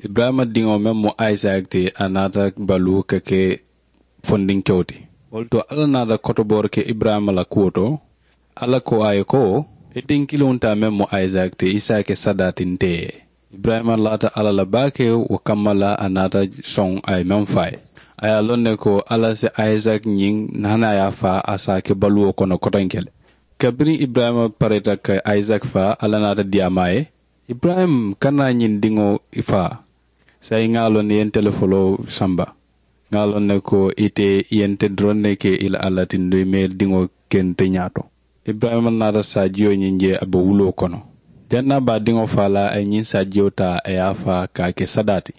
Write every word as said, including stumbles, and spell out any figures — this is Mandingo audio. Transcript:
Iburayima diŋo meŋ mu isaaki ti, a naata baluu ka ke fondinkewo ti. Wo le to alla naata kotoboori ke iburayima la kuwo to. Alla ko a ye ko, i tiŋ kiliŋo taa meŋ mu isaaki ti i si a ke sadaa ti nte ye. Iburayima laata alla la baake. Wo kamma la a naata soŋ a ye meŋ fo a ye. A ye a loŋ ne ko alla si isaaki ñiŋ hani a ye a faa a si a ke baluwo kono kotonke le. Kabiriŋ iburayima pareeta ka isaaki faa alla naata diyaamaa ye, iburayima kana ñiŋ diŋo faa. Saayiŋ ŋa a loŋ ne i ye nte le foloo samba. Ŋa a loŋ ne ko ite i ye nte doroŋ ne ke i la alla ti nduŋ i maŋ i diŋo ke nte ñaato. Iburayima naata saajiyo ñiŋ je a be wuloo kono. Janniŋ a be a diŋo faa la a ye ñiŋ saajiyo taa a ye a faa ka a ke sadaa ti.